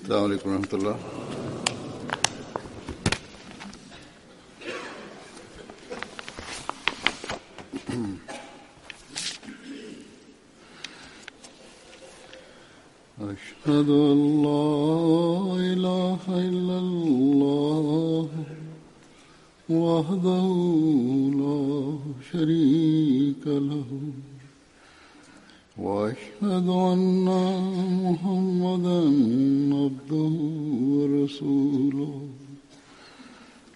السلام عليكم ورحمة الله. أشهد أن لا إله إلا الله وحده لا شريك له وأشهد أن محمدا عبده ورسوله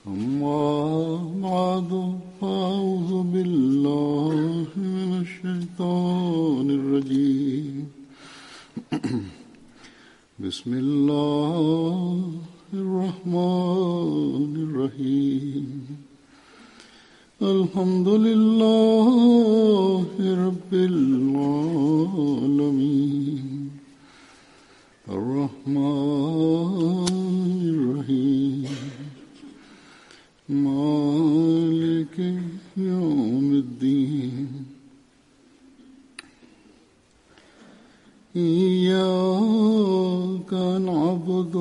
أما بعد فأعوذ بالله من الشيطان الرجيم بسم الله الرحمن الرحيم الحمد لله رب العالمين الرحمن الرحيم مالك يوم الدين إياك نعبد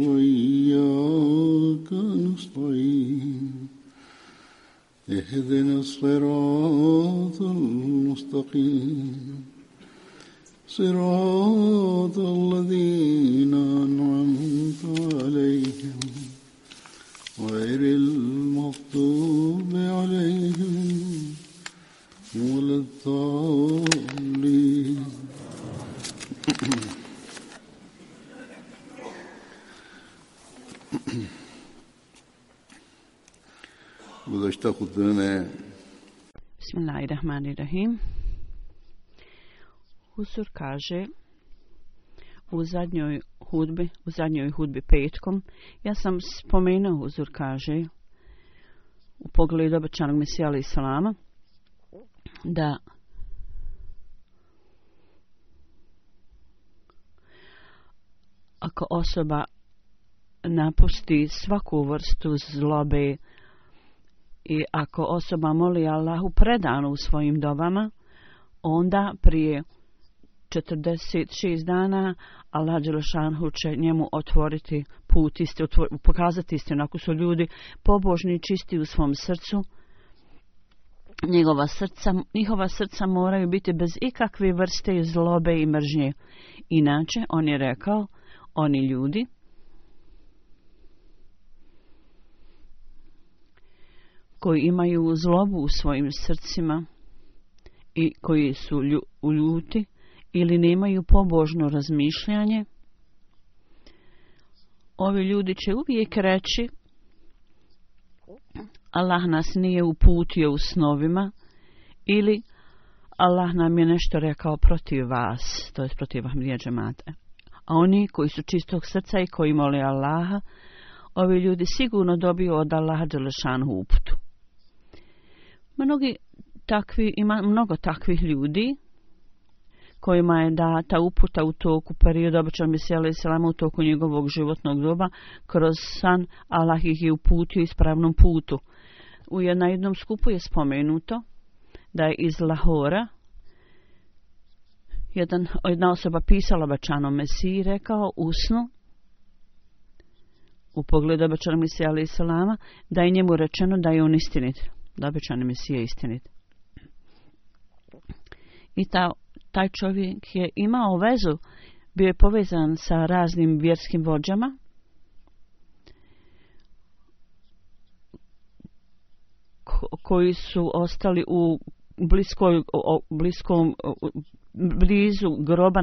وإياك نستعين اهدنا الصراط المستقيم صراط الذين أنعمت عليهم غير المغضوب عليهم ولا الضالين. गुज़श्ता खुतबे में Bismillahirrahmanirrahim. Huzur kaže u zadnjoj hudbi petkom, ja sam spomenuo, Huzur kaže u pogledu obećanog Mesija alejhi selama, da ako osoba napusti svaku vrstu zlobe i ako osoba moli Allahu predano u svojim dovama, onda prije 46 dana Allah dželešanhu će njemu otvoriti put, pokazati istinu. Ako su ljudi pobožni i čisti u svom srcu, njihova srca moraju biti bez ikakve vrste zlobe i mržnje. Inače, on je rekao, oni ljudi koji imaju zlobu u svojim srcima i koji su ljuti ili nemaju pobožno razmišljanje, ovi ljudi će uvijek reći Allah nas nije uputio u snovima ili Allah nam je nešto rekao protiv vas, to je protiv Ahmadija džemata. A oni koji su čistog srca i koji mole Allaha, ovi ljudi sigurno dobiju od Allaha dželešanu uputu. Ima mnogo takvih ljudi kojima je data uputa u toku perioda obećanog Mesija alejhi selama, u toku njegovog životnog doba. Kroz san Allah ih je uputio ispravnom putu. Na jednom skupu je spomenuto da je iz Lahora jedna osoba pisala obećanom Mesiji, rekao u snu u pogledu obećanog Mesija alejhi selama da je njemu rečeno da je on istinit, da obećani Mesija je istinit. I taj čovjek je imao vezu, bio je povezan sa raznim vjerskim vođama koji su ostali u blizu groba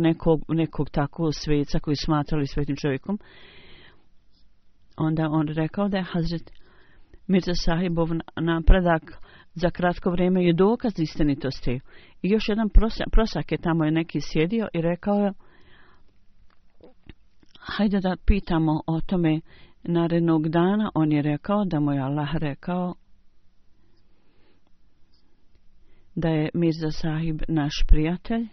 nekog takvog sveca koji smatrali svetim čovjekom. Onda on rekao da je Hazret Mirza Sahibov napredak za kratko vrijeme je dokaz istinitosti. I još jedan prosak je tamo neki sjedio i rekao je, hajde da pitamo o tome narednog dana. On je rekao da mu je Allah rekao da je Mirza Sahib naš prijatelj.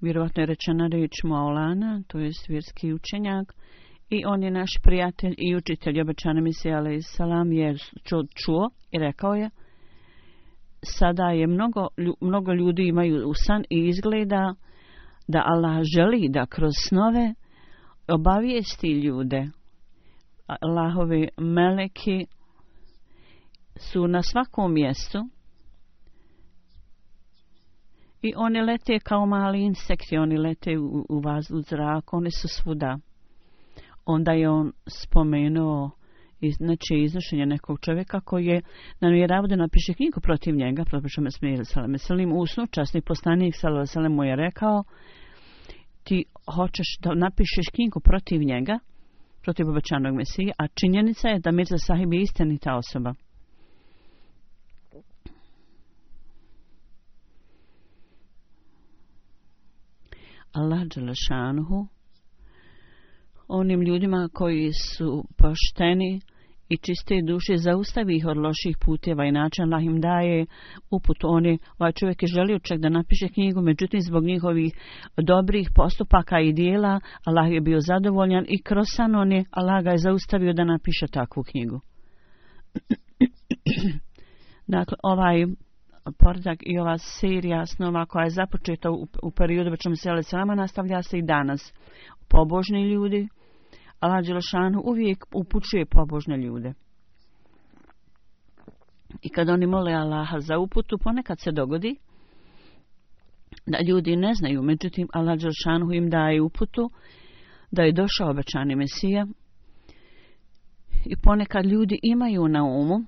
Vjerovatno je rečena riječ Maulana, to je vjerski učenjak, i on je naš prijatelj i učitelj. Obećani Mesija alejhi selam je čuo i rekao je, sada je mnogo ljudi imaju u san i izgleda da Allah želi da kroz snove obavijesti ljude. Allahovi meleki su na svakom mjestu i oni lete kao mali insekti, oni lete u zrak, oni su svuda. Onda je on spomenuo znači iznošenje nekog čovjeka koji je namjeravao da napiše knjigu protiv njega, protiv Meselim u snu. Časni poslanik sallallahu mu je rekao: ti hoćeš da napišeš knjigu protiv njega, protiv obećanog Mesije, a činjenica je da Mirza Sahib je istinita osoba. Allah dželešanuhu onim ljudima koji su pošteni i čiste duše zaustavi ih od loših puteva i način. Allah im daje uput. Ovaj čovjek je želio čak da napiše knjigu, međutim zbog njihovih dobrih postupaka i dijela Allah je bio zadovoljan i kroz san Allah ga je zaustavio da napiše takvu knjigu. Dakle, ovaj poredak i ova serija snova koja je započeta u periodu Bećom Sele Selama nastavlja se i danas. Pobožni ljudi, Allah dželešanu uvijek upućuje pobožne ljude. I kad oni mole Allaha za uputu, ponekad se dogodi da ljudi ne znaju, međutim Allah dželešanu im daje uputu da je došao obećani Mesija i ponekad ljudi imaju na umu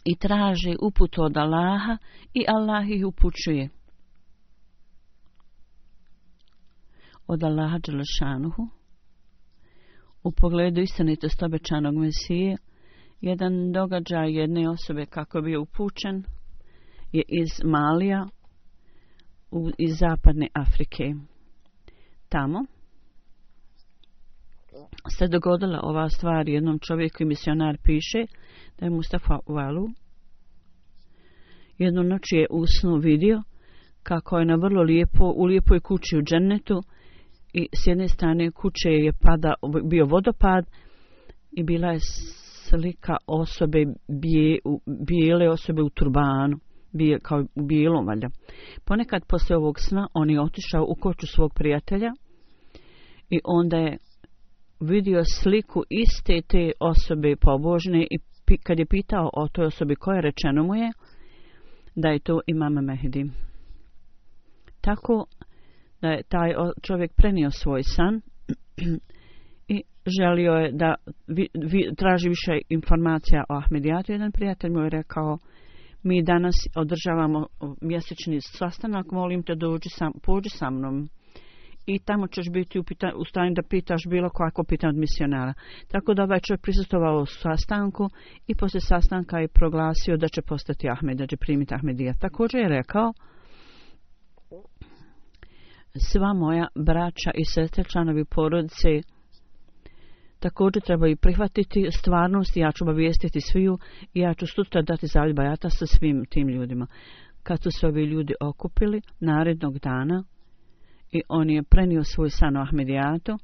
i traže uputu od Allaha i Allah ih upućuje. Od Allaha dželešanuhu u pogledu istinitosti obećanog Mesije, jedan događaj jedne osobe kako je bio upućen je iz Malija iz zapadne Afrike. Tamo se dogodila ova stvar jednom čovjeku i misionar piše da je Mustafa Walu jednu noć je u snu vidio kako je na vrlo u lijepoj kući u džennetu i s jedne strane kuće je bio vodopad i bila je slika osobe, bijele osobe u turbanu, kao u bijelom valjda. Ponekad poslije ovog sna on je otišao u kuću svog prijatelja i onda je vidio sliku iste te osobe pobožne i kad je pitao o toj osobi koja je, rečeno mu je da je to Imam Mehdi. Tako da je taj čovjek prenio svoj san i želio je da traži više informacija o Ahmedijatu. Jedan prijatelj mu je rekao: mi danas održavamo mjesečni sastanak, molim te pođi sa mnom i tamo ćeš biti u stanju da pitaš bilo kako pitanje od misionara. Tako da ovaj čovjek prisustvovao u sastanku i poslije sastanka je proglasio da će postati Ahmed, da će primiti Ahmedijat. Također je rekao: sva moja braća i sestre, članovi porodice također trebaju prihvatiti stvarnost i ja ću obavijestiti sviju i ja ću sutra dati zavjet bajata sa svim tim ljudima. Kad su se ovi ljudi okupili narednog dana i on je prenio svoj san o Ahmedijatu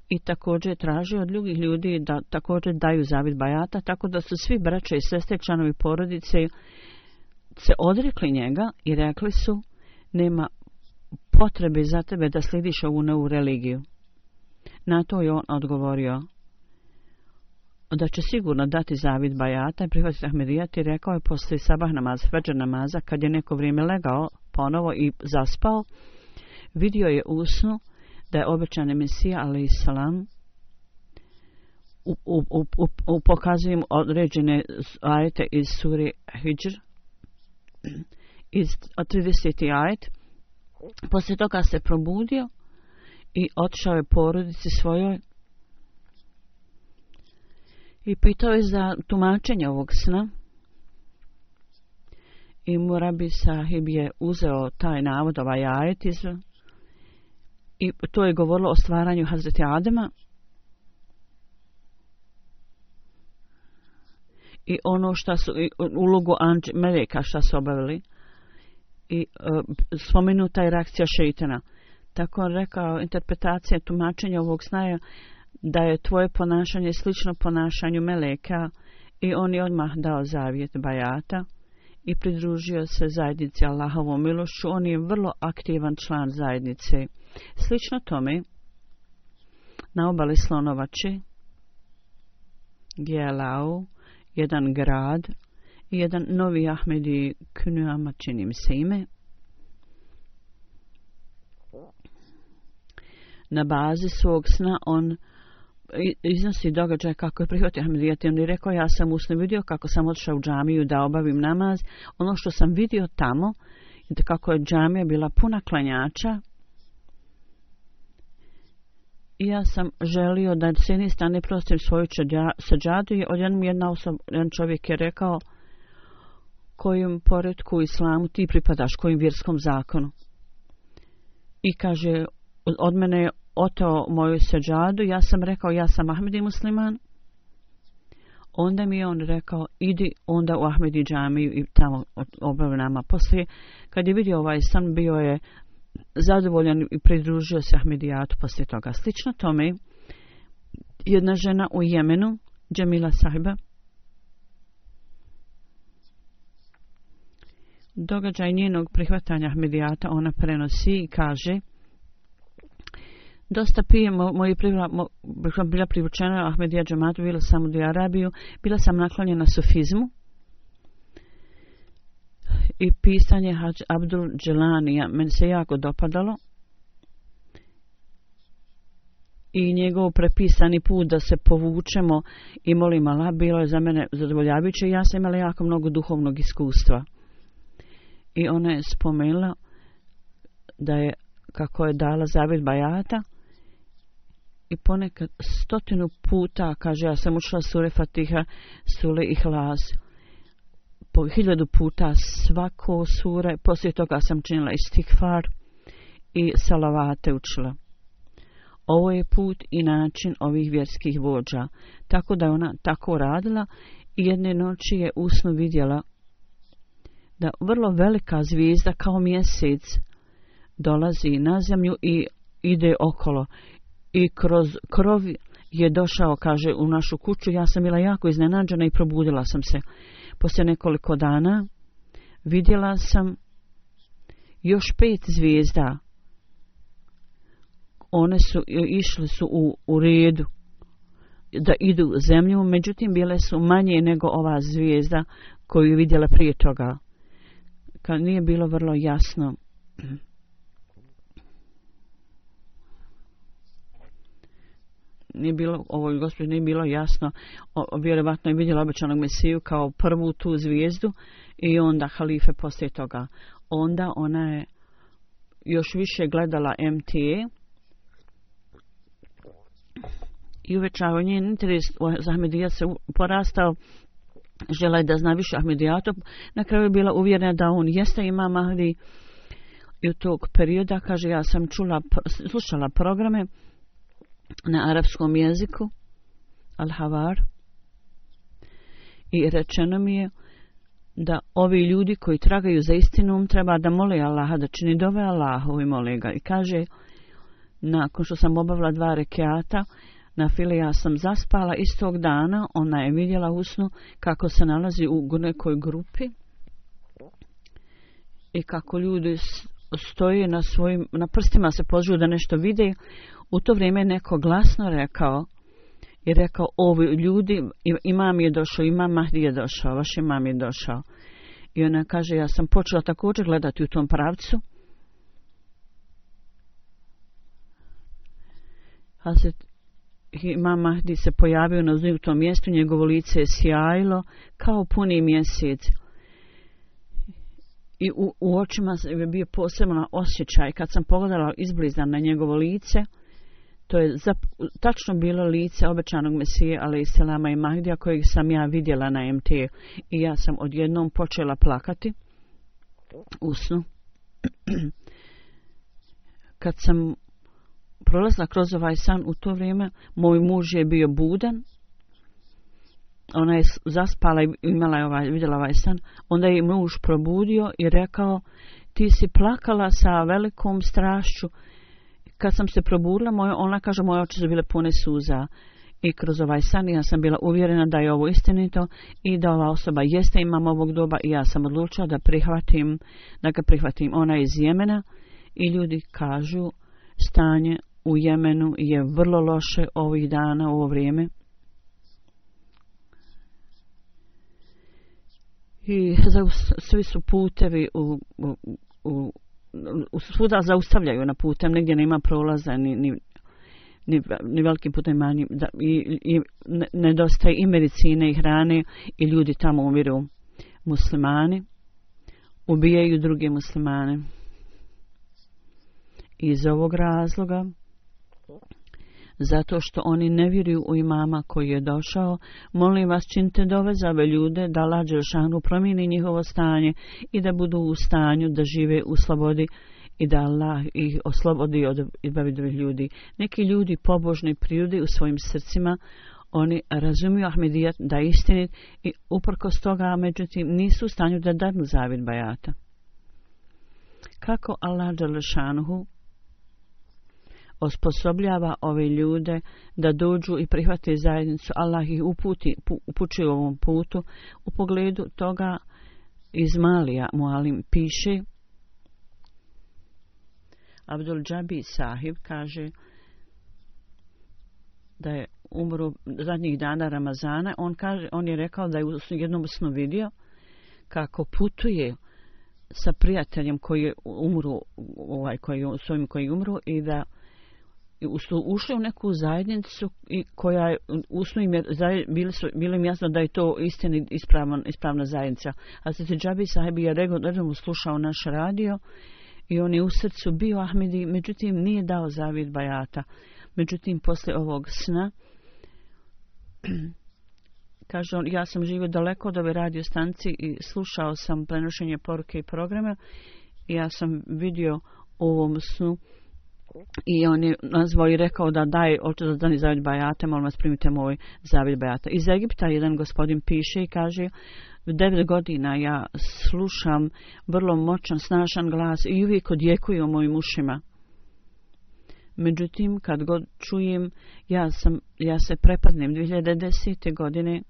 i također je tražio od drugih ljudi da također daju zavjet bajata, tako da su svi braća i sestre, članovi porodice se odrekli njega i rekli su: nema potrebe za tebe da slidiš ovu novu religiju. Na to je on odgovorio da će sigurno dati zavjet bajata i prihvatiti Ahmedijat i rekao je poslije sabah namaza, fadžr namaza, kad je neko vrijeme legao ponovo i zaspao, vidio je u snu da je obećani Mesija alejsalam pokazujem određene ajete iz sure Hidžr iz 30. ajet. Poslije toga se probudio i otišao je porodici svojoj i pitao je za tumačenje ovog sna. I Murabi Sahib je uzeo taj navod, ovaj ajet i to je govorilo o stvaranju Hazreti Adema i ono što su ulogu meleka što su obavili i spomenuta je reakcija šeitana. Tako on rekao, interpretacija tumačenja ovog sna je da je tvoje ponašanje slično ponašanju meleka i on je odmah dao zavjet bajata i pridružio se zajednici Allahovom milošću. On je vrlo aktivan član zajednice. Slično tome, na obali Slonovače, Gelau, jedan grad i jedan novi Ahmedi Kunuama, čini mi se ime, na bazi svog sna on iznosi događaj kako je prihvatio Ahmedijat. On je rekao, ja sam u snu vidio kako sam otišao u džamiju da obavim namaz. Ono što sam vidio tamo, kako je džamija bila puna klanjača, i ja sam želio da s jedne strane prostim svoju sađadu, i odjednom jedan čovjek je rekao, kojim poretku u islamu ti pripadaš, kojim vjerskom zakonu. I kaže, od mene je oteo moju sađadu. Ja sam rekao, ja sam Ahmedi musliman. Onda mi je on rekao, idi onda u Ahmedi džamiju i tamo obavi nama. Poslije, kad je vidio ovaj san, bio je zadovoljan i pridružio se Ahmedijatu poslije toga. Slično tome, jedna žena u Jemenu, Džemila Sahiba, događaj njenog prihvatanja Ahmedijata ona prenosi i kaže, dosta prije bila privučena Ahmedija džamatu, bila sam u Arabiju, bila sam naklonjena sufizmu i pisanje Hadž Abdul Dželanija meni se jako dopadalo i njegov prepisani put da se povučemo i molim Allah bilo je za mene zadovoljavajuće. Ja sam imala jako mnogo duhovnog iskustva i ona je spomenula da je, kako je dala zavjet bajata, i ponekad 100 puta, kaže, ja sam učila sure Fatiha, sure Ihlas, po 1000 puta svako sure, poslije toga sam činila istighfar i salavate učila. Ovo je put i način ovih vjerskih vođa, tako da je ona tako radila i jedne noći je u snu vidjela da vrlo velika zvijezda kao mjesec dolazi na zemlju i ide okolo. I kroz krov je došao, kaže, u našu kuću. Ja sam bila jako iznenađena i probudila sam se. Poslije nekoliko dana vidjela sam još 5 zvijezda. One su išle su u redu da idu zemlju, međutim bile su manje nego ova zvijezda koju je vidjela prije toga. Kad nije bilo vrlo jasno. Nije bilo, ovoj gospođi nije bilo jasno, vjerovatno je vidjela obećanog Mesiju kao prvu tu zvijezdu i onda halife poslije toga. Onda ona je još više gledala MTA i uvećao njen interes za Ahmedijat se porastao, žela je da zna više Ahmedijatu. Na kraju je bila uvjerena da on jeste imam Mahdi i u tog perioda, kaže, ja sam slušala programe na arapskom jeziku, Al-Havar, i rečeno mi je da ovi ljudi koji tragaju za istinom treba da mole Allaha, da čini dove Allahu i mole ga. I kaže, nakon što sam obavila 2 rekiata na file, ja sam zaspala istog dana. Ona je vidjela u snu kako se nalazi u nekoj grupi i kako ljudi stoje na prstima se pozivu da nešto vide. U to vrijeme je neko glasno rekao, ovi ljudi, imam je došao, imam Mahdi je došao, vaš imam je došao. I ona kaže, ja sam počela također gledati u tom pravcu. Hazret imam Mahdi se pojavio na tom mjestu, njegovo lice je sjajilo kao puni mjesec. I u očima je bio posebno osjećaj. Kad sam pogledala izbliza na njegovo lice, to je tačno bilo lice obećanog Mesije, alejselama i Mahdija, kojeg sam ja vidjela na MT. I ja sam odjednom počela plakati u snu. Kad sam prolazila kroz ovaj san, u to vrijeme moj muž je bio budan. Ona je zaspala i vidjela ovaj san. Onda je muž probudio i rekao, ti si plakala sa velikom strašću. Kad sam se probudila, ona kaže, moje oči su bile pune suza. I kroz ovaj san ja sam bila uvjerena da je ovo istinito i da ova osoba jeste imam ovog doba i ja sam odlučila da ga prihvatim. Ona je iz Jemena i ljudi kažu stanje u Jemenu je vrlo loše ovih dana, ovo vrijeme. I svi su putevi svuda zaustavljaju na putem, negdje nema prolaza ni velikim putem manjim, i nedostaje i medicine i hrane i ljudi tamo umiru. Muslimani ubijaju druge muslimane. Iz ovog razloga, zato što oni ne vjeruju u imama koji je došao, molim vas činite dove za ove ljude da Allah dželešanu promijeni njihovo stanje i da budu u stanju da žive u slobodi i da Allah ih oslobodi od izbavi drugih ljudi. Neki ljudi pobožni prirode u svojim srcima, oni razumiju Ahmedijat da je istinit i uprkos toga, međutim, nisu u stanju da dadnu zavjet bajata. Kako Allah dželešanu osposobljava ove ljude da dođu i prihvate zajednicu, Allah ih upućuje u ovom putu. U pogledu toga iz Malija Mualim piše, Abdul Džabi sahib kaže da je umro zadnjih dana Ramazana. On je rekao da je u jednom snu vidio kako putuje sa prijateljem koji je umro, koji je umro, i da ušli u neku zajednicu i koja je usnu im je bilo im jasno da je to istina ispravna zajednica. A Hazrat Džabi sahib je redovno slušao naš radio i on je u srcu bio Ahmedi, međutim nije dao zavjet bajata. Međutim, poslije ovog sna, kaže on, ja sam živio daleko od ove radio stanice i slušao sam prenošenje poruke i programa i ja sam vidio u ovom snu i on je nazvao i rekao da daje očezadani zavjet bajata, molim vas primite moj zavjet bajata. Iz Egipta jedan gospodin piše i kaže, 9 godina ja slušam vrlo moćan, snažan glas i uvijek odjekuje u mojim ušima. Međutim, kad god čujem, ja se prepadnem. 2010. godine,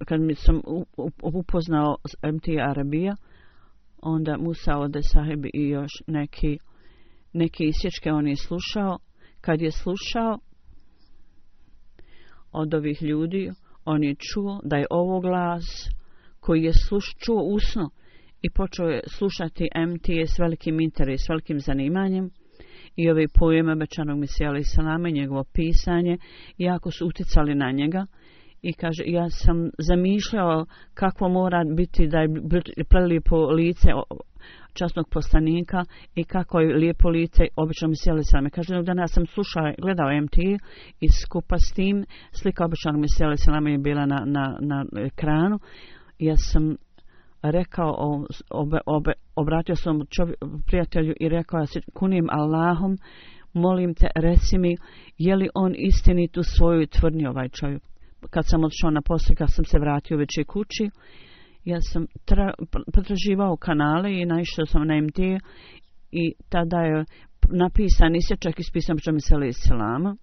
kad mi sam upoznao MT Arabija, onda Musa Ode sahib i još neke isječke on je slušao. Kad je slušao od ovih ljudi, on je čuo da je ovo glas koji je čuo usno i počeo je slušati MT s velikim interesom, s velikim zanimanjem, i ove pojeme obećanog Mesija alejhi selama i njegovo pisanje jako su utjecali na njega. I kaže, ja sam zamišljao kako mora biti da je prelijepo lice časnog poslanika i kako je lijepo lice običnog Mesija alejhi selama. Kaže, jednog dana sam gledao MT i skupa s tim slika običnog Mesija alejhi selama je bila na ekranu. Ja sam rekao, obratio sam prijatelju i rekao, ja se kunim Allahom, molim te, reci mi, je li on istinit u svojoj tvrdnji, ovaj čovjek. Kad sam odšao na posao, kad sam se vratio večer kući, ja sam potraživao kanale i naišao sam na MT i tada je napisan isječak iz pisama Mesija alejhi selama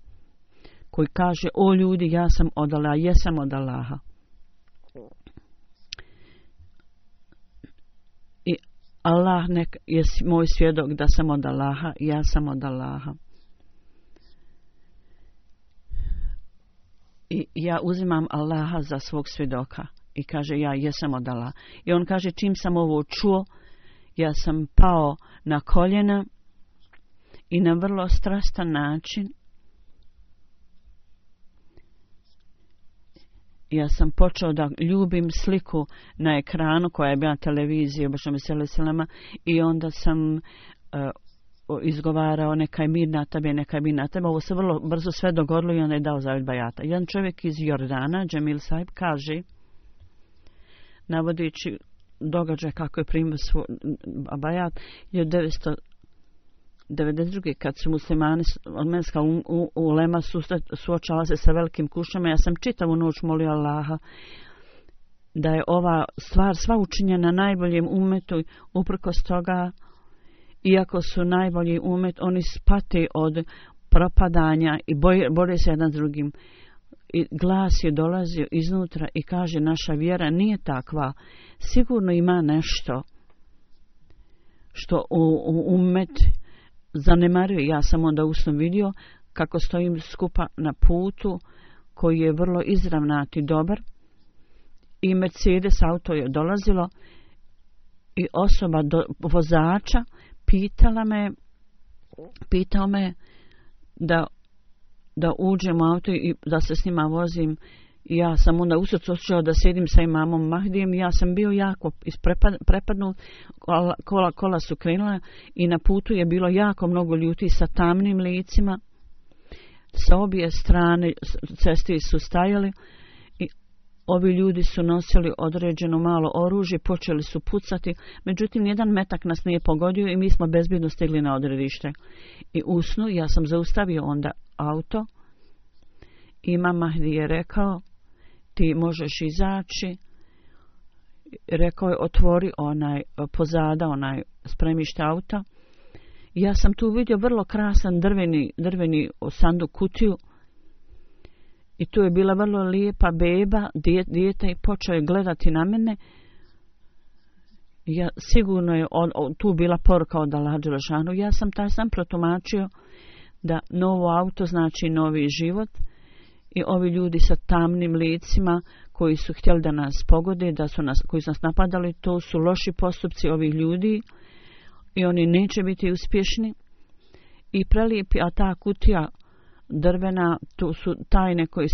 koji kaže, o ljudi, ja sam od Allaha, jesam od Allaha. I Allah je moj svjedok da sam od Allaha, ja sam od Allaha. I ja uzimam Allaha za svog svjedoka i kaže, ja jesam od Allaha. I on kaže, čim sam ovo čuo, ja sam pao na koljena i na vrlo strastan način ja sam počeo da ljubim sliku na ekranu koja je bila na televiziji obično Mesija alejhi selama, i onda sam izgovarao nekaj mir na tebe, nekaj mir na tebe. Ovo se vrlo brzo sve dogodilo i onda je dao zavjet bajata. Jedan čovjek iz Jordana, Džemil sahib, kaže, navodeći događaj kako je primio svoj bajat, 1992. kad su muslimani armenska ulema suočala se sa velikim kušnjama, ja sam čitavu noć molio Allaha da je ova stvar sva učinjena najboljem umetu. Uprkos toga, iako su najbolji umet, oni pate od propadanja i bore se jedan s drugim. I glas je dolazio iznutra i kaže naša vjera nije takva. Sigurno ima nešto što umet zanemaruje. Ja sam onda usno vidio kako stojim skupa na putu koji je vrlo izravnat i dobar i Mercedes auto je dolazilo i osoba vozača pitao me da uđem u auto i da se s njima vozim. I ja sam onda u srcu osjećao da sedim sa imamom Mahdijem i ja sam bio jako prepadnut, kola su krenula i na putu je bilo jako mnogo ljudi sa tamnim licima. Sa obje strane cesti su stajali i ovi ljudi su nosili određeno malo oružje, počeli su pucati, međutim jedan metak nas nije pogodio i mi smo bezbjedno stigli na odredište. I usnu ja sam zaustavio onda auto. Imam Mahdi je rekao ti možeš izaći. Rekao je otvori pozada spremište auta. Ja sam tu vidio vrlo krasan drveni sanduk kutiju i tu je bila vrlo lijepa beba, dijete i počeo je gledati na mene. Ja, sigurno je tu bila poruka od Allaha dželešanu. Ja sam taj sam protumačio da novo auto znači novi život i ovi ljudi sa tamnim licima koji su htjeli da nas pogode, koji su nas napadali, to su loši postupci ovih ljudi i oni neće biti uspješni. I prelijepi, a ta kutija drvena, to su tajne koje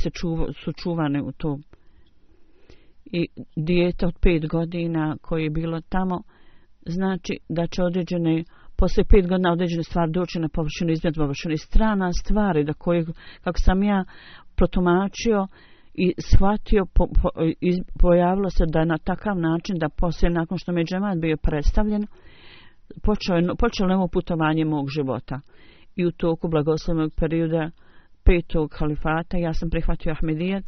su čuvane u to. I dijete od 5 godina koje je bilo tamo, znači da će poslije 5 godina određene stvari doći na površinu, izmet površinu. I strana stvari kako sam ja protumačio i shvatio, pojavilo se da na takav način da poslije, nakon što mi je džemat bio predstavljen, počelo novo putovanje mog života. I u toku blagoslovnog perioda 5. halifata ja sam prihvatio Ahmedijet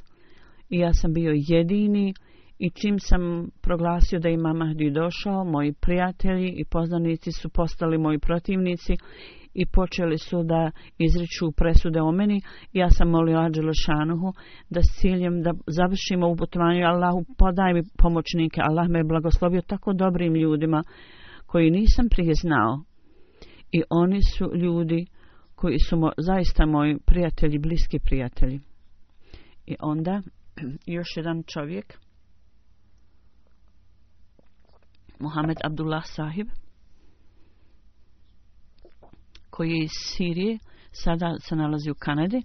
i ja sam bio jedini i čim sam proglasio da ima Mahdi došao, moji prijatelji i poznanici su postali moji protivnici i počeli su da izriču presude o meni. Ja sam molio Allaha dželešanuhu da s ciljem da završimo u putovanju. Allahu podaj mi pomoćnike. Allah me je blagoslovio tako dobrim ljudima koji nisam prije znao. I oni su ljudi koji su zaista moji prijatelji, bliski prijatelji. I onda još jedan čovjek, Mohamed Abdullah Sahib, koji je iz Sirije, sada se nalazi u Kanadi.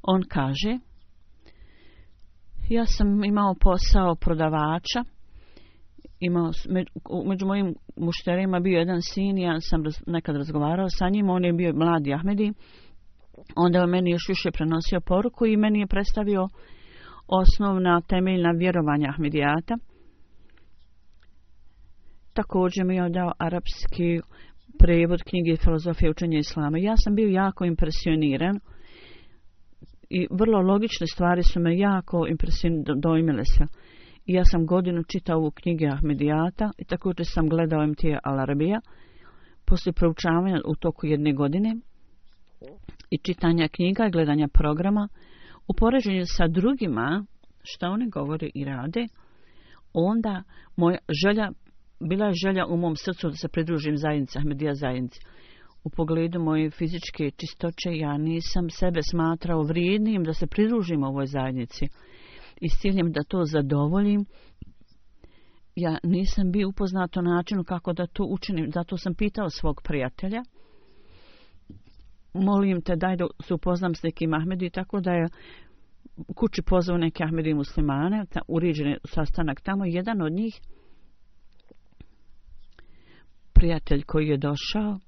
On kaže, ja sam imao posao prodavača, među mojim mušterima bio jedan sin, ja sam nekad razgovarao sa njim, on je bio mladi Ahmedi, onda on meni još više prenosio poruku i meni je predstavio osnovna temeljna vjerovanja Ahmedijata. Također mi je dao arapski prevod knjige Filozofije učenja Islama. Ja sam bio jako impresioniran i vrlo logične stvari su me jako dojmile se. I ja sam godinu čitao ovu knjige Ahmedijata i također sam gledao MT Al-Arabija. Poslije proučavanja u toku 1 godine i čitanja knjiga i gledanja programa, u poređenju sa drugima što oni govore i rade, onda bila je želja u mom srcu da se pridružim zajednici, Ahmedija zajednici. U pogledu moje fizičke čistoće ja nisam sebe smatrao vrijednim da se pridružim ovoj zajednici. I s ciljem da to zadovoljim, ja nisam bio upoznat o načinu kako da to učinim. Zato sam pitao svog prijatelja, molim te daj da se upoznam s nekim Ahmedi, tako da je kući pozvao neke Ahmedi muslimane, uređen sastanak tamo. Jedan od njih, prijatelj koji je došao,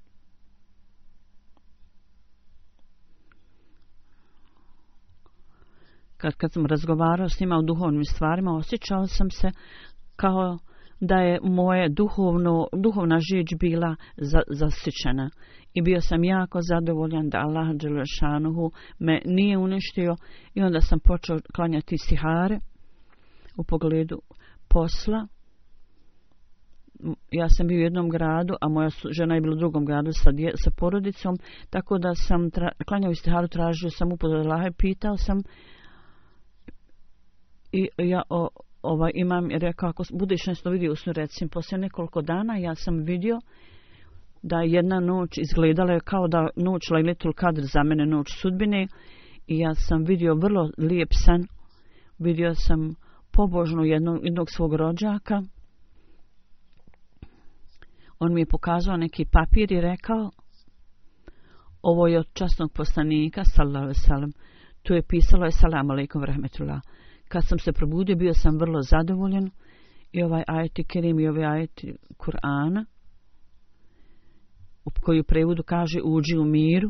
kad sam razgovarao s njima o duhovnim stvarima, osjećao sam se kao da je moje duhovna žić bila zasićena. I bio sam jako zadovoljan da Allah dželešanuhu me nije uništio i onda sam počeo klanjati istihare u pogledu posla. ja sam bio u jednom gradu, a moja žena je bila u drugom gradu sa porodicom, tako da sam klanjao istiharu, tražio sam uput od Allaha i pitao sam i ja imam rekao, ako budeš nešto vidio u snu, recimo, poslije nekoliko dana ja sam vidio da jedna noć izgledala je kao da noć Lajletul Kadr za mene, noć sudbine, i ja sam vidio vrlo lijep san. Vidio sam pobožno jednog svog rođaka. On mi je pokazao neki papir i rekao, ovo je od časnog poslanika, sallallahu alejhi ve sellem. Tu je pisalo Assalamu alejkum ve rahmetullah. Kad sam se probudio, bio sam vrlo zadovoljan i ovaj ajet kerim i ovaj ajet Kur'ana, koji u prevodu kaže uđi u miru,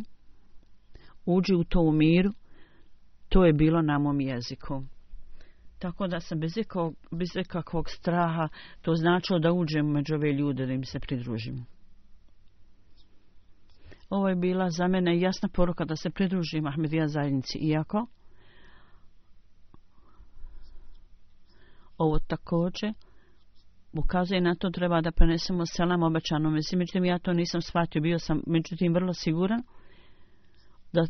uđi u to u miru, to je bilo na mom jeziku. Tako da sam bez ikakvog straha, to značilo da uđem među ove ljude, da im se pridružim. Ovo je bila za mene jasna poruka da se pridružim Ahmedija zajednici, iako ovo također ukazuje na to treba da prenesemo selam obećanom. Međutim, ja to nisam shvatio, bio sam međutim vrlo siguran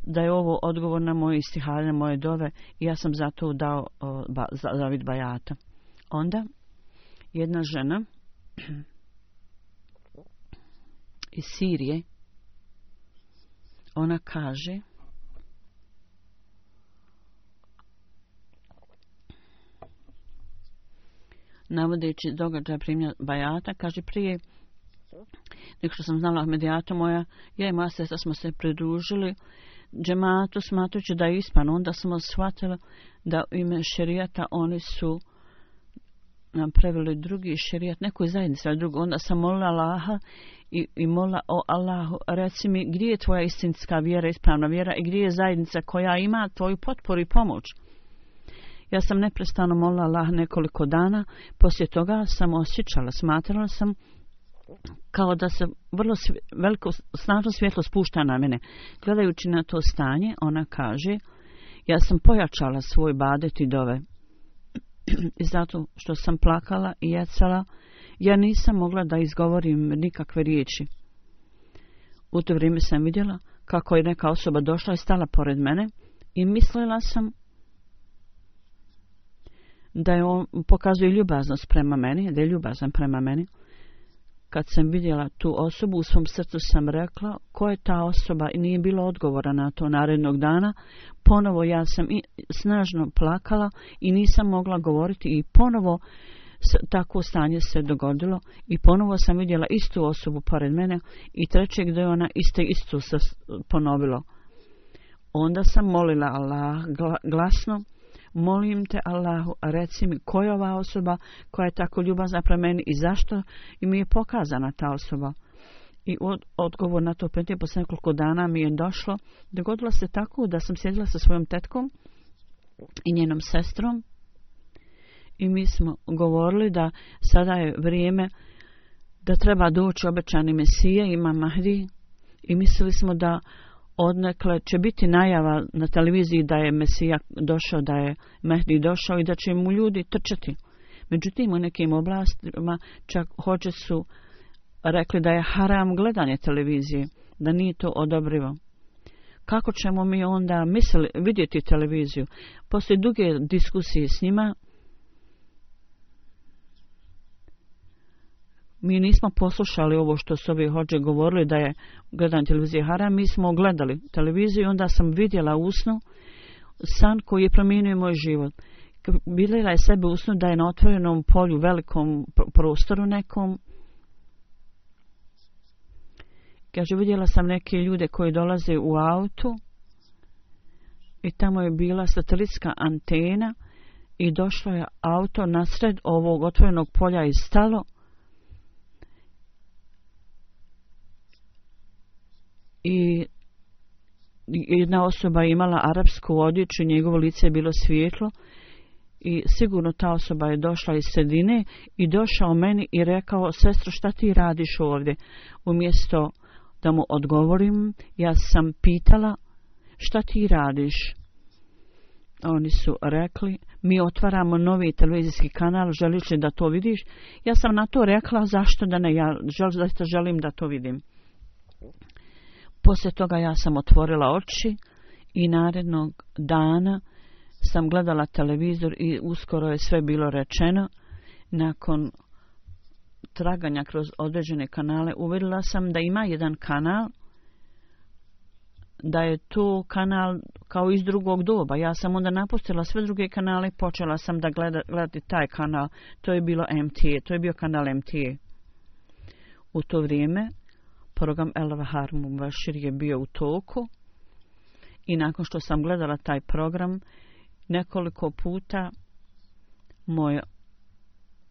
da je ovo odgovor na moje istihare, na moje dove, i ja sam zato dao zavid bajata. Onda jedna žena iz Sirije, ona kaže, navodeći događaj primanja bajata, kaže, prije nego što sam znala Ahmedijata, ja i moja sestra smo se pridružili džematu smatrujući da je ispan. Onda smo shvatili da u ime šerijata oni su nam preveli drugi šerijat, nekoj zajednici, ali drugo. Onda sam molila Allaha i molila o Allahu, reci mi gdje je tvoja istinska vjera, ispravna vjera, i gdje je zajednica koja ima tvoju potporu i pomoć. Ja sam neprestano molila Allah nekoliko dana, poslije toga sam osjećala, smatrala sam kao da se vrlo veliko, snažno svjetlo spušta na mene. Gledajući na to stanje, ona kaže, ja sam pojačala svoj badet i dove. I zato što sam plakala i jecala, ja nisam mogla da izgovorim nikakve riječi. U to vrijeme sam vidjela kako je neka osoba došla i stala pored mene i mislila sam da je on pokazuje ljubaznost prema meni, da je ljubazan prema meni. Kad sam vidjela tu osobu, u svom srcu sam rekla ko je ta osoba i nije bilo odgovora na to. Narednog dana ponovo ja sam snažno plakala i nisam mogla govoriti i ponovo tako stanje se dogodilo i ponovo sam vidjela istu osobu pored mene i trećeg da je ona isto se ponovilo. Onda sam molila Allah glasno, molim te Allahu, reci mi ko je ova osoba koja je tako ljubazna prema meni i zašto mi je pokazana ta osoba. I odgovor na to pitanje posle nekoliko dana mi je došlo. Dogodilo se tako da sam sjedila sa svojom tetkom i njenom sestrom i mi smo govorili da sada je vrijeme da treba doći obećani Mesija, Imam Mahdi, i mislili smo da odnekle će biti najava na televiziji da je Mesija došao, da je Mehdi došao i da će mu ljudi trčati. Međutim, u nekim oblastima čak hođe su rekli da je haram gledanje televizije, da nije to odobrivo. Kako ćemo mi onda vidjeti televiziju? Poslije duge diskusije s njima, mi nismo poslušali ovo što su ovi hođe govorili da je gledanje televizije haram. Mi smo gledali televiziju i onda sam vidjela u snu san koji je promijenio moj život. Vidjela je sebe u snu da je na otvorenom polju, velikom prostoru nekom. Kaže, vidjela sam neke ljude koji dolaze u autu i tamo je bila satelitska antena i došlo je auto nasred ovog otvorenog polja i stalo. I jedna osoba imala arapsku odjeću, njegovo lice je bilo svijetlo i sigurno ta osoba je došla iz sredine i došao meni i rekao, sestro, šta ti radiš ovdje? Umjesto da mu odgovorim, ja sam pitala, šta ti radiš? oni su rekli, mi otvaramo novi televizijski kanal, želiš li da to vidiš? Ja sam na to rekla, zašto da ne, ja zaista želim da to vidim. Poslije toga ja sam otvorila oči i narednog dana sam gledala televizor i uskoro je sve bilo rečeno. Nakon traganja kroz određene kanale uvidjela sam da ima jedan kanal, da je to kanal kao iz drugog doba. Ja sam onda napustila sve druge kanale i počela sam da gledati taj kanal. To je bilo MTA, to je bio kanal MTA. U to vrijeme program El-Vahar Mubashir je bio u toku i nakon što sam gledala taj program nekoliko puta moje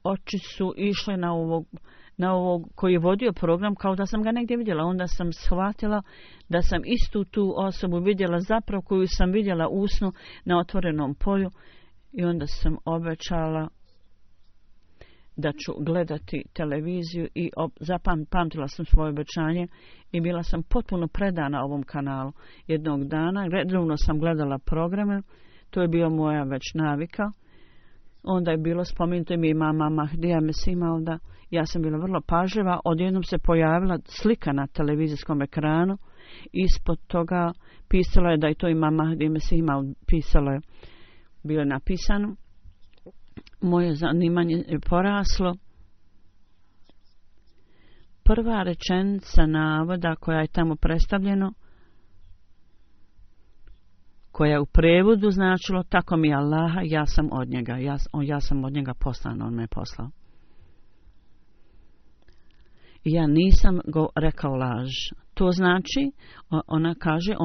oči su išle na ovog koji je vodio program kao da sam ga negdje vidjela. Onda sam shvatila da sam istu tu osobu vidjela zapravo koju sam vidjela u snu na otvorenom polju i onda sam obećala da ću gledati televiziju i zapamtila sam svoje obećanje i bila sam potpuno predana ovom kanalu. Jednog dana redovno sam gledala programe, to je bio moja već navika. Onda je bilo spomenuto mi mama Mahdija Mesimalda. Ja sam bila vrlo pažljiva. Odjednom se pojavila slika na televizijskom ekranu. Ispod toga pisalo je da je to ima Mahdija Mesimalda. Pisalo je, bilo je napisano. Moje zanimanje je poraslo. Prva rečenica navoda koja je tamo predstavljeno, koja je u prevodu značilo tako mi Allaha, ja sam od njega. Ja sam od njega poslan, on me je poslao. I ja nisam go rekao laž. To znači, ona kaže,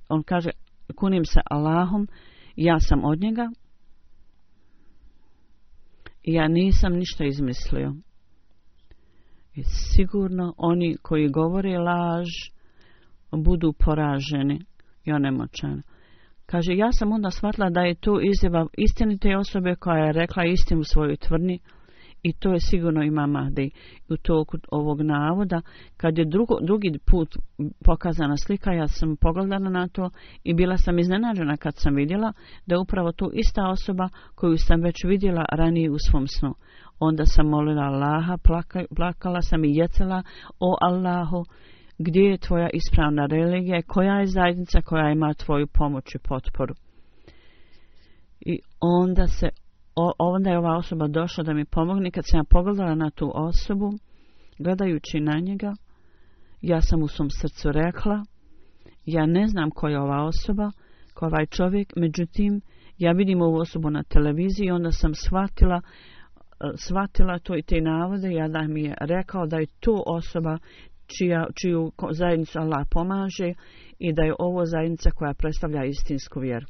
on kaže, kunim se Allahom, ja sam od njega. I ja nisam ništa izmislio. I sigurno oni koji govore laž budu poraženi i onemoćani. Kaže, ja sam onda shvatila da je to izjava istinite osobe koja je rekla istinu u svojoj tvrdnji i to je sigurno Imam Mahdi. U toku ovog navoda, kad je drugi put pokazana slika, ja sam pogledala na to i bila sam iznenađena kad sam vidjela da je upravo to ista osoba koju sam već vidjela ranije u svom snu. Onda sam molila Allaha, plakala sam i jecala, o Allahu, gdje je tvoja ispravna religija, koja je zajednica koja ima tvoju pomoć i potporu. I onda je ova osoba došla da mi pomogne. Kad sam ja pogledala na tu osobu, gledajući na njega, ja sam u svom srcu rekla, ja ne znam koja je ova osoba, ko ovaj čovjek, međutim, ja vidim ovu osobu na televiziji i onda sam shvatila to i te navode, ja da mi je rekao da je to osoba čiju zajednicu Allah pomaže i da je ovo zajednica koja predstavlja istinsku vjeru.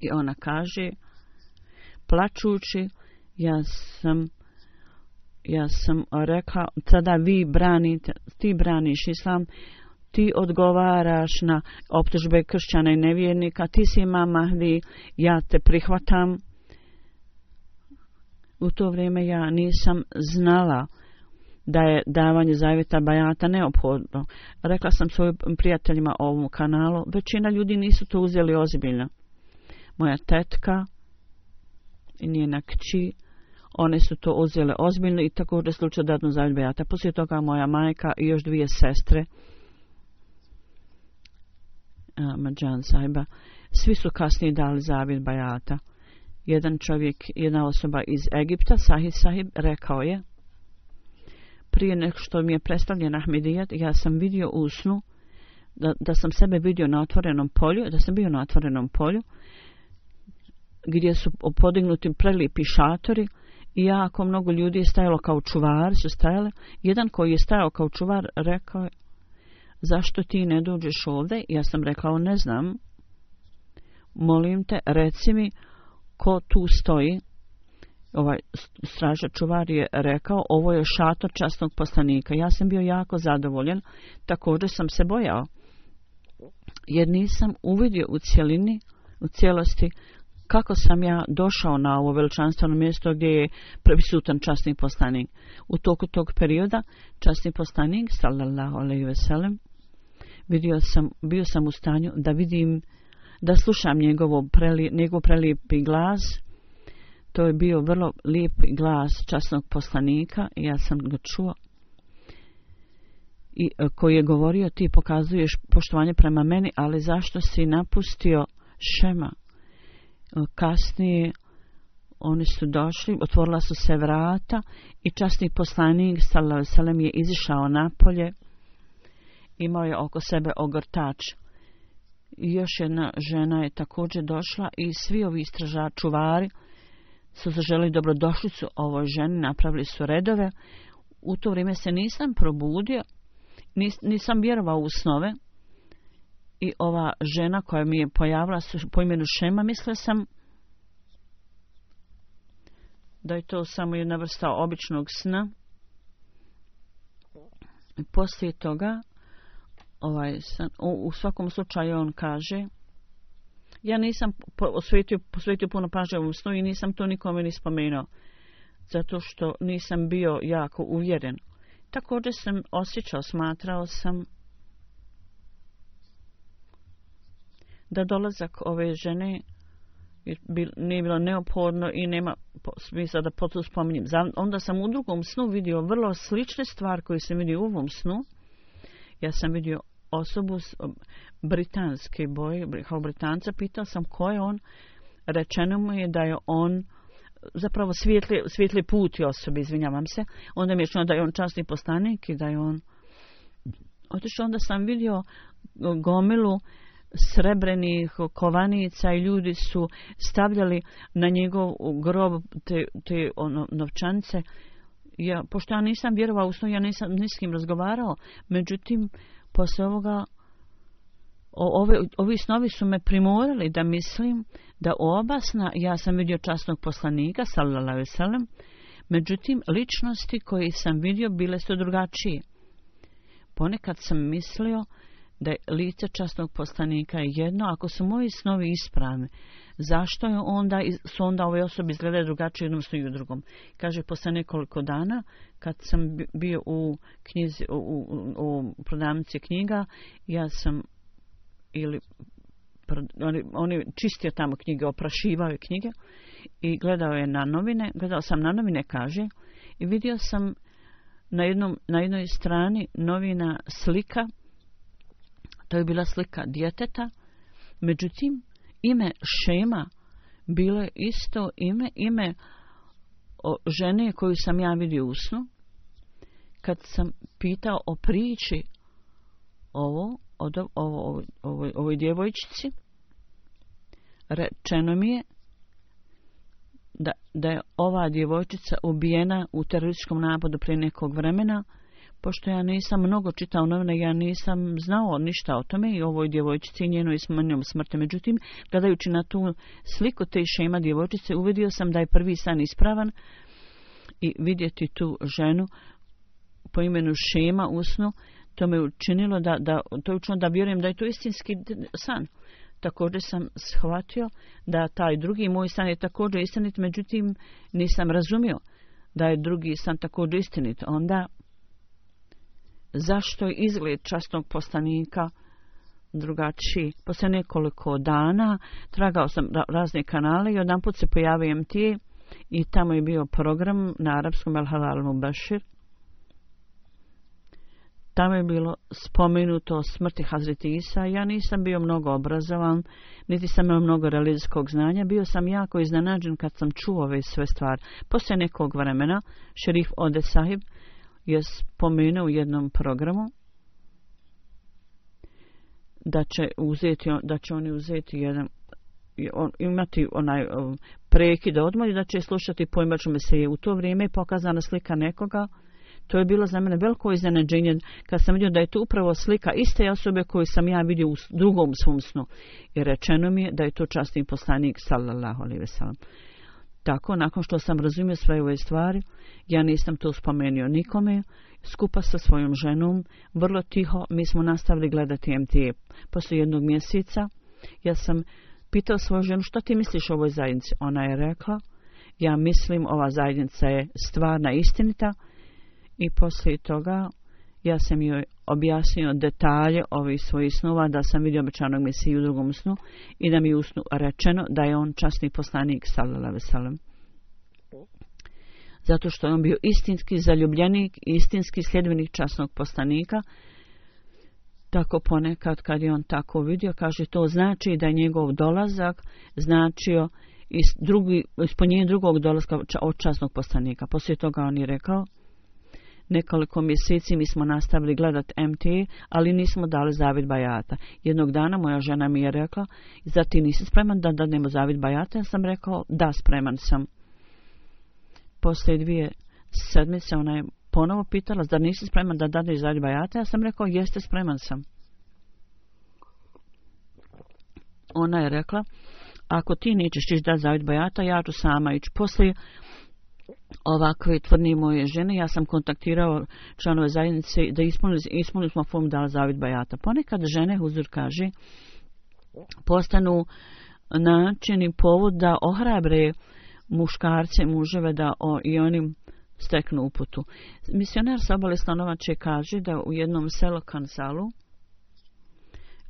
I ona kaže, plačući, ja sam rekla, sada ti braniš islam, ti odgovaraš na optužbe kršćana i nevjernika, ti si Imam Mahdi, ja te prihvatam. U to vrijeme ja nisam znala da je davanje zavjeta bajata neophodno. Rekla sam svojim prijateljima o ovom kanalu, većina ljudi nisu to uzeli ozbiljno. Moja tetka i njena kći, one su to uzele ozbiljno i također slučaj dadnu zavjet bajata. Poslije toga moja majka i još dvije sestre, Mađan sahiba, svi su kasnije dali zavjet bajata. Jedan čovjek, jedna osoba iz Egipta, Sahih sahib, rekao je, prije nego što mi je predstavljen Ahmedijat, ja sam vidio u snu da sam sebe vidio na otvorenom polju, da sam bio na otvorenom polju, gdje su podignuti prelijepi šatori i jako mnogo ljudi je stajalo kao čuvari, su stajali. Jedan koji je stajao kao čuvar rekao je, zašto ti ne dođeš ovdje? Ja sam rekao, ne znam. Molim te, reci mi ko tu stoji. Ovaj stražar čuvar je rekao, ovo je šator časnog poslanika. Ja sam bio jako zadovoljan, također sam se bojao, jer nisam uvidio u cijelosti kako sam ja došao na ovo veličanstveno mjesto gdje je prisutan časni poslanik. U toku tog perioda časni poslanik, sallallahu alejhi ve sellem, bio sam u stanju da vidim da slušam njegov prelijepi glas. To je bio vrlo lijep glas časnog poslanika i ja sam ga čuo. I koji je govorio, ti pokazuješ poštovanje prema meni, ali zašto si napustio Šema? Kasnije oni su došli, otvorila su se vrata i časni poslanik sallallahu alejhi ve sellem je izišao napolje. Imao je oko sebe ogrtač. I još jedna žena je također došla i svi ovi čuvari su zaželi dobrodošlicu ovoj ženi, napravili su redove. U to vrijeme se nisam probudio, nisam vjerovao u snove. I ova žena koja mi je pojavila po imenu Šema, mislila sam da je to samo jedna vrsta običnog sna. I poslije toga u svakom slučaju on kaže, ja nisam posvetio puno pažnje u snu i nisam to nikome ni spomenuo, zato što nisam bio jako uvjeren. Također sam smatrao sam da dolazak ove žene nije bilo neophodno i nema smisla da potom spominjem. Onda sam u drugom snu vidio vrlo slične stvari koje sam vidio u ovom snu. Ja sam vidio osobu britanske boje, kao Britanca, pitao sam ko je on. Rečeno mu je da je on zapravo svijetli put osobe, izvinjavam se. Onda mi je čuo da je on časni poslanik i da je on otišao. Onda sam vidio gomilu srebrenih kovanica i ljudi su stavljali na njegov grob te novčanice. Pošto ja nisam vjerovao u snu, ja nisam ni s kim razgovarao. Međutim, posle ovoga ovi snovi su me primorali da mislim da oba sna ja sam vidio časnog poslanika sallallahu alejhi ve sellem. Međutim, ličnosti koje sam vidio bile su drugačije. Ponekad sam mislio da je lice časnog poslanika jedno, ako su moji snovi ispravni, zašto je su onda ove osobe izgledaju drugačije u jednom snu i u drugom? Kaže, posle nekoliko dana, kad sam bio u knjizi, u prodavnici knjiga, ja sam oni čistio tamo knjige, oprašivao je knjige i gledao sam na novine, kaže, i vidio sam na jednoj strani novina slika. To je bila slika djeteta, međutim, ime Šema bilo je isto ime žene koju sam ja vidio u snu. Kad sam pitao o priči ovoj djevojčici, rečeno mi je da je ova djevojčica ubijena u terorističkom napadu prije nekog vremena. Pošto ja nisam mnogo čitao novine, ja nisam znao ništa o tome i ovoj djevojčici i njenoj smrti. Međutim, gledajući na tu sliku te Šema djevojčice, uvidio sam da je prvi san ispravan i vidjeti tu ženu po imenu Šema u snu, to me učinilo da vjerujem da je to istinski san. Također sam shvatio da taj drugi moj san je također istinit, međutim nisam razumio da je drugi san također istinit. Onda zašto je izgled časnog poslanika drugačiji? Poslije nekoliko dana tragao sam razne kanale i odjedanput se pojavio MT i tamo je bio program na arapskom El Halal Mubashir. Tamo je bilo spomenuto o smrti Hazreti Isa. Ja nisam bio mnogo obrazovan, niti sam imao mnogo religijskog znanja. Bio sam jako iznenađen kad sam čuo ove sve stvari. Poslije nekog vremena šerif Ode Sahib je spomenuo u jednom programu da će oni uzeti imati onaj prekid odmor i da će slušati pojmaču Mesije. U to vrijeme je pokazana slika nekoga. To je bilo za mene veliko iznenađenje kad sam vidio da je to upravo slika iste osobe koju sam ja vidio u drugom svom snu. I rečeno mi je da je to časni poslanik sallallahu alejhi ve sellem. Tako, nakon što sam razumio sve ove stvari, ja nisam to spomenuo nikome, skupa sa svojom ženom, vrlo tiho, mi smo nastavili gledati MTA. Poslije jednog mjeseca, ja sam pitao svoju ženu, što ti misliš o ovoj zajednici? Ona je rekla, ja mislim ova zajednica je stvarna, istinita. I poslije toga Ja sam joj objasnio detalje ovih svojih snova, da sam vidio obećanog Mesiju u drugom snu i da mi u snu rečeno da je on časni poslanik sallallahu alejhi ve sellem. Zato što je on bio istinski zaljubljenik, istinski sljedbenik časnog poslanika. Tako ponekad kad je on tako vidio, kaže, to znači da je njegov dolazak značio ispunjenje drugog dolaska od časnog poslanika. Poslije toga on je rekao, nekoliko mjeseci mi smo nastavili gledati MT, ali nismo dali zavid bajata. Jednog dana moja žena mi je rekla, zar ti nisi spreman da dadnemo zavid bajata? Ja sam rekao, da, spreman sam. Poslije 2 sedmice ona je ponovo pitala, zar nisi spreman da dadneš zavid bajata? Ja sam rekao, jeste, spreman sam. Ona je rekla, ako ti nećeš ići dati zavid bajata, ja ću sama ići. Poslije ovakve tvrdnje moje žene, ja sam kontaktirao članove zajednice da ispunili smo formu dala zavid bajata. Ponekad žene, huzur kaže, postanu način i povod da ohrabre muškarce, muževe da i oni steknu uputu. Misionar sa obale Stanovače kaže da u jednom selu Kansalu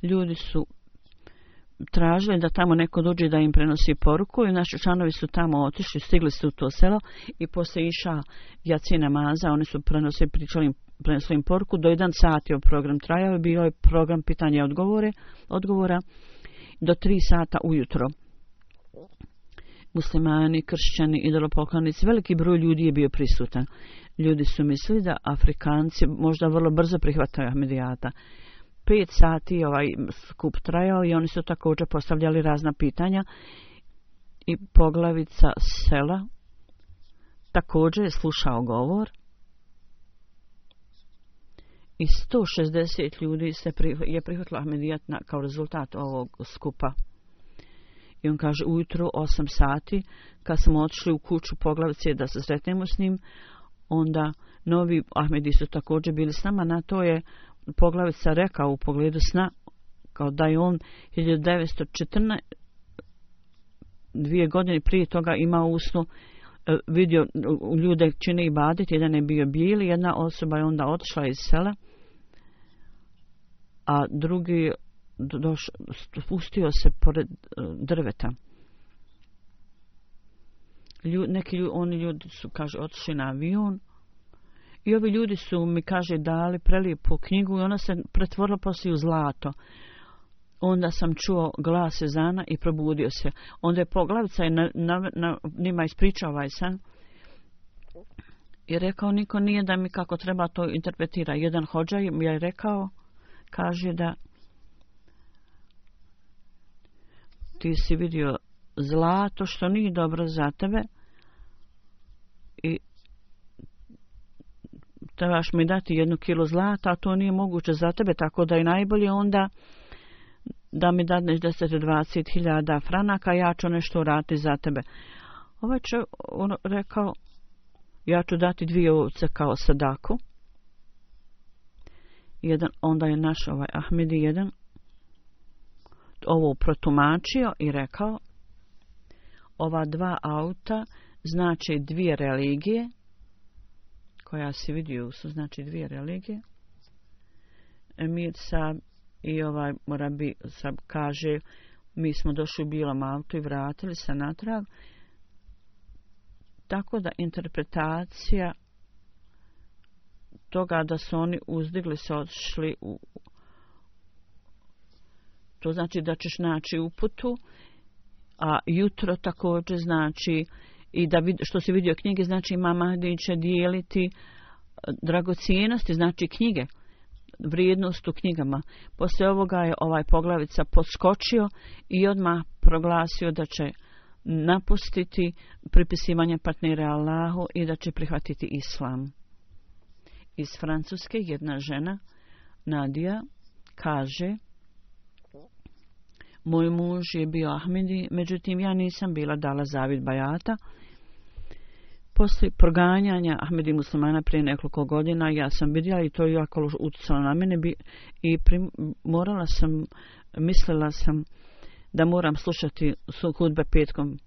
ljudi su tražili da tamo neko dođe da im prenosi poruku i naši članovi su tamo otišli, stigli su u to selo i poslije iša jaci namaza, oni su prenosili im poruku, do 1 sat je program trajao i bio je program pitanja i odgovora do 3 sata ujutro. Muslimani, kršćani, idolopoklonici, veliki broj ljudi je bio prisutan. Ljudi su mislili da Afrikanci možda vrlo brzo prihvataju Ahmedijata. 5 sati ovaj skup trajao i oni su također postavljali razna pitanja i poglavica sela također je slušao govor i 160 ljudi je prihvatilo Ahmedijat kao rezultat ovog skupa. I on kaže, ujutro 8 sati, kad smo otišli u kuću poglavice da se sretnemo s njim, onda novi Ahmedi su također bili s nama. Na to je poglavica rekao u pogledu sna, kao da je on 1914, 2 godine prije toga imao u snu, vidio ljude čine ibadet, jedan je bio bijeli, jedna osoba je onda otišla iz sela, a drugi spustio se pored drveta. Oni ljudi su, kaže, otišli na avion i ovi ljudi su mi, kaže, dali prelijepu knjigu i ona se pretvorila poslije u zlato. Onda sam čuo glas ezana i probudio se. Onda je poglavica njima ispričao ovaj san i rekao, niko nije da mi kako treba to interpretira. Jedan hodža mi je rekao, kaže da ti si vidio zlato što nije dobro za tebe i trebaš mi dati 1 kilo zlata, a to nije moguće za tebe, tako da je najbolje onda da mi dadneš 10-20 hiljada franaka, ja ću nešto uraditi za tebe. Ovaj će rekao, ja ću dati 2 ovce kao sadaku. Onda je naš ovaj Ahmedi jedan ovo protumačio i rekao, ova 2 auta znači 2 religije, koja si vidio su znači 2 religije. Emir Sab i ovaj Morabi Sab kaže, mi smo došli u bijelom autu i vratili se natrag. Tako da interpretacija toga da su oni uzdigli se odšli to znači da ćeš naći uputu, a jutro također znači i da što si vidio knjige, znači Imam Mahdi će dijeliti dragocijenosti, znači knjige, vrijednost u knjigama. Poslije ovoga je ovaj poglavica podskočio i odmah proglasio da će napustiti pripisivanje partnera Allahu i da će prihvatiti islam. Iz Francuske jedna žena, Nadija, kaže, moj muž je bio Ahmedi, međutim ja nisam bila dala zavid bajata. Poslije proganjanja Ahmedi muslimana prije nekoliko godina ja sam vidjela i to je jako utjecalo na mene i mislila sam da moram slušati hudbe petkom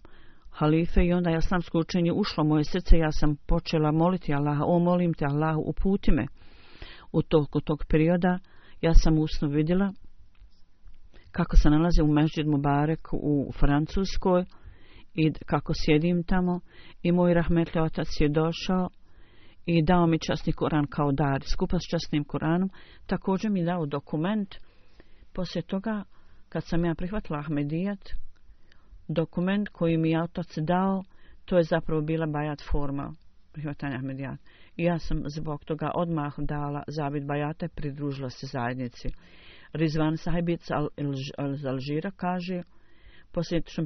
halife i onda islamsko učenje ušlo u moje srce, ja sam počela moliti Allaha, molim te Allahu, uputi me. U toku tog perioda ja sam usno vidjela kako se nalazi u Mesdžid Mubarek u Francuskoj i kako sjedim tamo i moj rahmetli otac je došao i dao mi časni Koran kao dar. Skupa s časnim Koranom također mi dao dokument. Poslije toga, kad sam ja prihvatila Ahmedijat, dokument koji mi je otac dao, to je zapravo bila bajat forma prihvatanja Ahmedijata. I ja sam zbog toga odmah dala zavid bajata i pridružila se zajednici. Rizvan Sahibic iz Alžira kaže, poslije što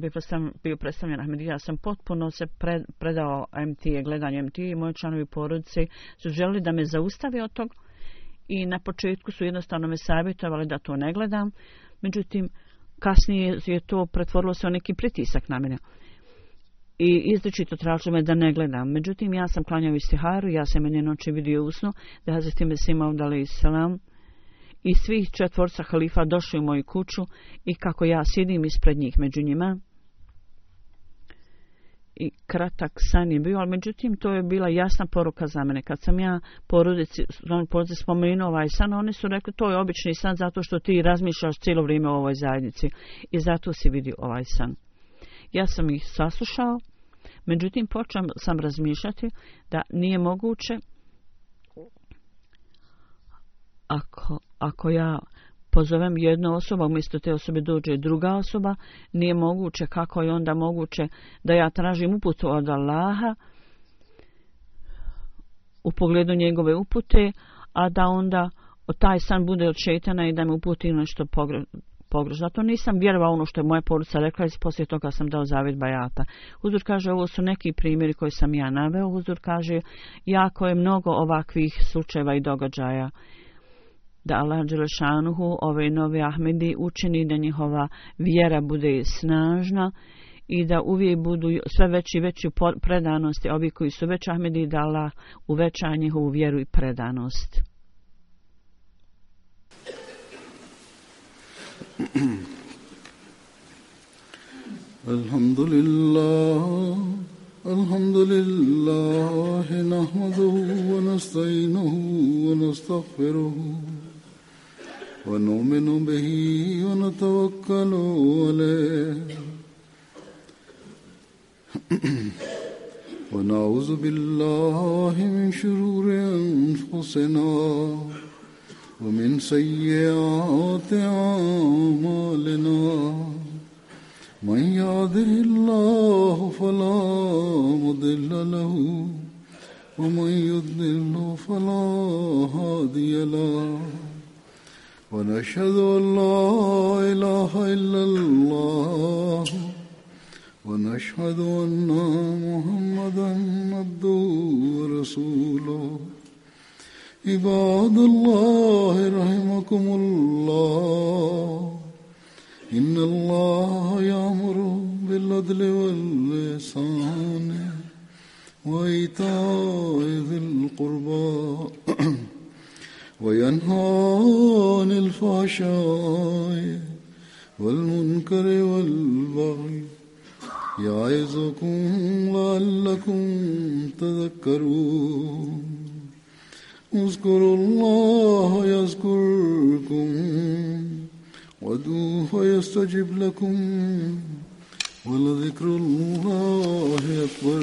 bio predstavljen Ahmedija, ja sam potpuno se predao MT, gledanju MT i moji članovi porodice su želeli da me zaustave od tog i na početku su jednostavno me savjetovali da to ne gledam, međutim kasnije je to pretvorilo se u neki pritisak na mene i izričito tražili me da ne gledam. Međutim, ja sam klanjao istiharu, ja sam jedne noći vidio usnu da Hazreti Mesih Maud alejhi selam i svih 4 halifa došli u moju kuću i kako ja sjedim ispred njih među njima. I kratak san je bio, ali međutim to je bila jasna poruka za mene. Kad sam ja porodici spomenuo ovaj san, oni su rekli to je obični san zato što ti razmišljaš cijelo vrijeme o ovoj zajednici i zato si vidio ovaj san. Ja sam ih saslušao, međutim počeo sam razmišljati da nije moguće ako ja pozovem jednu osobu, umjesto te osobe dođe druga osoba, nije moguće, kako je onda moguće da ja tražim uputu od Allaha u pogledu njegove upute, a da onda taj san bude od šejtana i da me uputi nešto pogrešno. Zato nisam vjerovao ono što je moja porodica rekla i poslije toga sam dao zavid bajata. Huzur kaže, ovo su neki primjeri koji sam ja naveo. Huzur kaže, jako je mnogo ovakvih slučajeva i događaja. Da Allah dželešanuhu ove nove Ahmedi učini da njihova vjera bude snažna i da uvijek budu sve veći i veći predanosti. Ovi koji su već Ahmedi, da Allah uveća njihovu vjeru i predanost. Alhamdulillah, nahmaduhu wa nasta'inuhu wa nastaghfiruhu wa nu'minu bihi wa natawakkalu alayhi wa na'udhu billahi min shururi anfusina wa min sayyiati a'malina. من يهده الله فلا مضل له ومن يضلل فلا هادي له ونشهد أن لا إله إلا الله ونشهد أن محمدا عبده ورسوله. عباد الله رحمكم الله، إن الله يأمر بالعدل والإحسان وإيتاء ذي القربى وينهى عن الفحشاء والمنكر والبغي يعظكم لعلكم تذكرون. اذكروا الله يذكركم وادعوه يستجب لكم ولذكر الله أكبر.